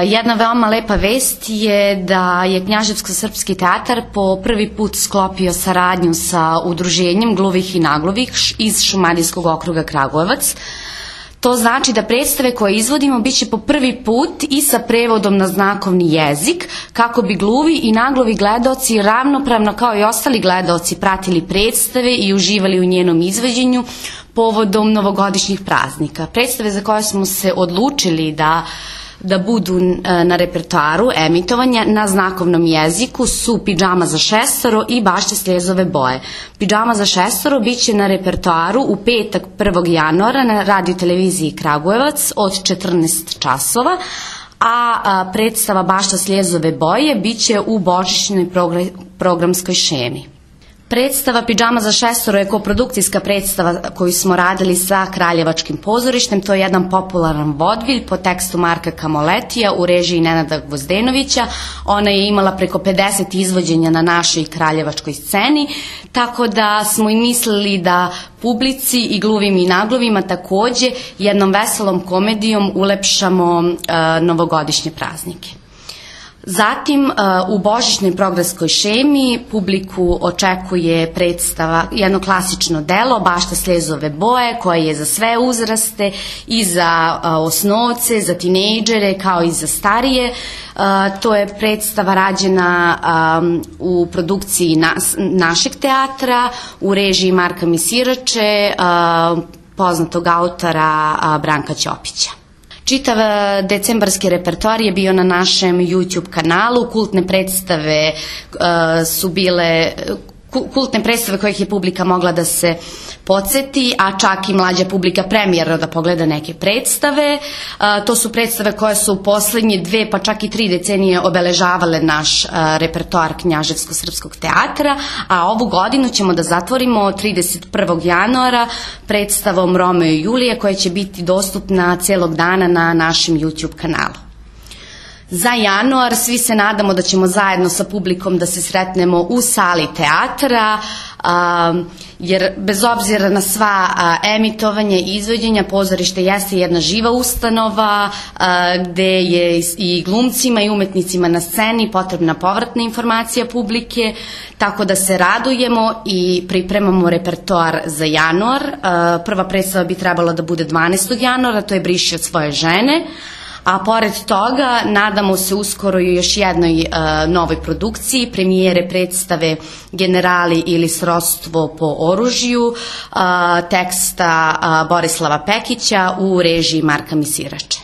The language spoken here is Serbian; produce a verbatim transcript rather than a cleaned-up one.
Jedna veoma lepa vest je da je Knjaževsko-srpski teatar po prvi put sklopio saradnju sa udruženjem Gluvih i Nagluvih iz Šumadijskog okruga Kragujevac. To znači da predstave koje izvodimo biće po prvi put i sa prevodom na znakovni jezik, kako bi gluvi i nagluvi gledaoci ravnopravno kao i ostali gledaoci pratili predstave i uživali u njenom izvođenju povodom novogodišnjih praznika. Predstave za koje smo se odlučili da da budu na repertoaru emitovanja na znakovnom jeziku su Pidžama za šestoro i Bašta sljezove boje. Pidžama za šestoro biće na repertoaru u petak prvog januara na radio televiziji Kragujevac od četrnaest časova, a predstava Bašta sljezove boje biće u božićnoj programskoj šemi. Predstava Pidžama za šestoro je koprodukcijska predstava koju smo radili sa Kraljevačkim pozorištem. To je jedan popularan vodvilj po tekstu Marka Kamoletija u režiji Nenada Gvozdenovića. Ona je imala preko pedeset izvođenja na našoj kraljevačkoj sceni, tako da smo i mislili da publici i gluvim i nagluvima takođe jednom veselom komedijom ulepšamo novogodišnje praznike. Zatim, u božićnoj programskoj šemi publiku očekuje predstava, jedno klasično delo, Bašta sljezove boje, koje je za sve uzraste, i za osnovce, za tinejdžere, kao i za starije. To je predstava rađena u produkciji našeg teatra, u režiji Marka Misirače, poznatog autora Branka Ćopića. Čitav decembarski repertoar je bio na našem YouTube kanalu. Kultne predstave su bile kultne predstave kojih je publika mogla da se podsjeti, a čak i mlađa publika premijerno da pogleda neke predstave. To su predstave koje su u poslednje dve pa čak i tri decenije obeležavale naš repertoar Knjaževsko-srpskog teatra, a ovu godinu ćemo da zatvorimo trideset prvog januara predstavom Romeo i Julije, koja će biti dostupna celog dana na našem YouTube kanalu. Za januar svi se nadamo da ćemo zajedno sa publikom da se sretnemo u sali teatra, jer bez obzira na sva emitovanja i izvođenja, pozorište jeste jedna živa ustanova gde je i glumcima i umetnicima na sceni potrebna povratna informacija publike, tako da se radujemo i pripremamo repertoar za januar. Prva predstava bi trebala da bude dvanaestog januara, to je Briši od svoje žene. A pored toga, nadamo se uskoro i još jednoj novoj produkciji, premijere predstave Generali ili srodstvo po oružju, teksta Borislava Pekića u režiji Marka Misirače.